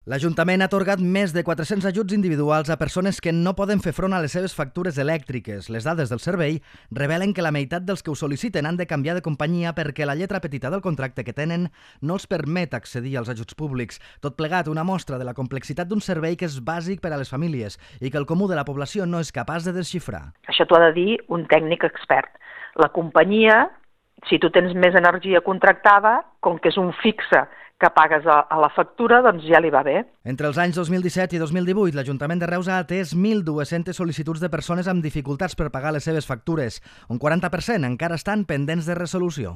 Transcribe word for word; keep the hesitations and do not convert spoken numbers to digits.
L'Ajuntament ha atorgat més de quatre-cents ajuts individuals a persones que no poden fer front a les seves factures elèctriques. Les dades del servei revelen que la meitat dels que ho sol·liciten han de canviar de companyia perquè la lletra petita del contracte que tenen no els permet accedir als ajuts públics. Tot plegat, una mostra de la complexitat d'un servei que és bàsic per a les famílies i que el comú de la població no és capaç de desxifrar. Això t'ho ha de dir un tècnic expert. La companyia, si tu tens més energia contractada, com que és un fixe que pagues a, a la factura, doncs ja li va bé. Entre els anys dos mil disset i dos mil divuit, l'Ajuntament de Reus ha atès mil dues-centes sol·licituds de persones amb dificultats per pagar les seves factures. Un quaranta per cent encara estan pendents de resolució.